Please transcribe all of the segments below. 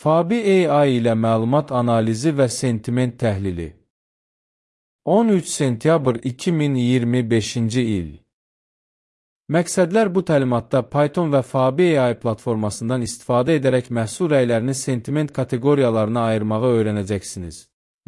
Fabi AI ilə məlumat analizi və sentiment təhlili. 13 sentyabr 2025-ci il. Məqsədlər bu təlimatda Python və Fabi AI platformasından istifadə edərək məhsul rəylərini sentiment kateqoriyalarına ayırmağı öyrənəcəksiniz.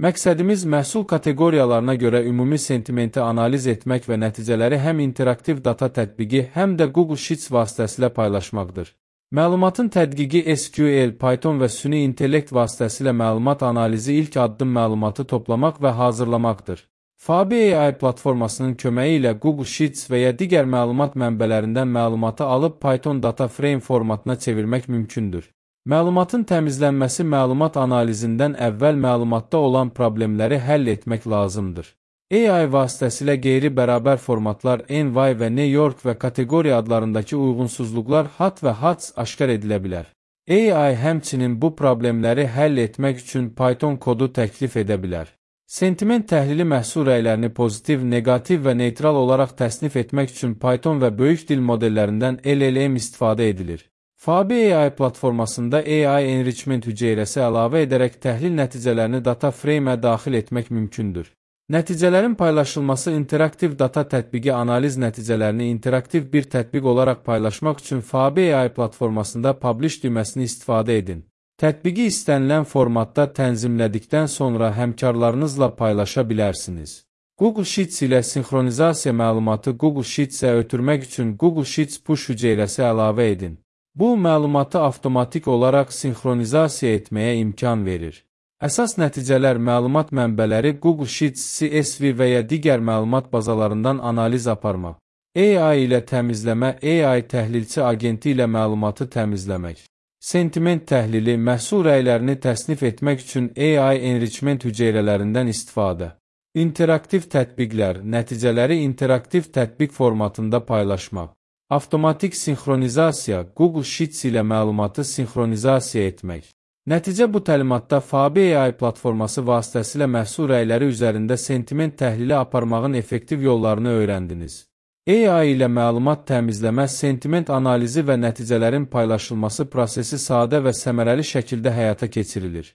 Məqsədimiz məhsul kateqoriyalarına görə ümumi sentimenti analiz etmək və nəticələri həm interaktiv data tətbiqi, həm də Google Sheets vasitəsilə paylaşmaqdır. Məlumatın tədqiqi SQL, Python və süni intellekt vasitəsilə məlumat analizi ilk addım məlumatı toplamaq və hazırlamaqdır. Fabi AI platformasının köməyi ilə Google Sheets və ya digər məlumat mənbələrindən məlumatı alıb Python Data Frame formatına çevirmək mümkündür. Məlumatın təmizlənməsi məlumat analizindən əvvəl məlumatda olan problemləri həll etmək lazımdır. AI vasitəsilə qeyri-bərabər formatlar NY və New York və kateqoriya adlarındakı uyğunsuzluqlar HAT və HATS aşkar edilə bilər. AI həmçinin bu problemləri həll etmək üçün Python kodu təklif edə bilər. Sentiment təhlili məhsul rəylərini pozitiv, negativ və neytral olaraq təsnif etmək üçün Python və böyük dil modellərindən LLM istifadə edilir. Fabi AI platformasında AI enrichment hüceyrəsi əlavə edərək təhlil nəticələrini data frame-ə daxil etmək mümkündür. Nəticələrin paylaşılması interaktiv data tətbiqi analiz nəticələrini interaktiv bir tətbiq olaraq paylaşmaq üçün Fabi AI platformasında Publish düyməsini istifadə edin. Tətbiqi istənilən formatda tənzimlədikdən sonra həmkarlarınızla paylaşa bilərsiniz. Google Sheets ilə sinxronizasiya məlumatı Google Sheets-ə ötürmək üçün Google Sheets push hüceyrəsi əlavə edin. Bu, məlumatı avtomatik olaraq sinxronizasiya etməyə imkan verir. Əsas nəticələr məlumat mənbələri Google Sheets, CSV və ya digər məlumat bazalarından analiz aparmaq. AI ilə təmizləmə, AI təhlilçi agenti ilə məlumatı təmizləmək. Sentiment təhlili, məhsul rəylərini təsnif etmək üçün AI enrichment hüceyrələrindən istifadə. İnteraktiv tətbiqlər, nəticələri interaktiv tətbiq formatında paylaşmaq. Avtomatik sinxronizasiya, Google Sheets ilə məlumatı sinxronizasiya etmək. Nəticə bu təlimatda Fabi AI platforması vasitəsilə məhsul rəyləri üzərində sentiment təhlili aparmağın effektiv yollarını öyrəndiniz. AI ilə məlumat təmizləmə, sentiment analizi və nəticələrin paylaşılması prosesi sadə və səmərəli şəkildə həyata keçirilir.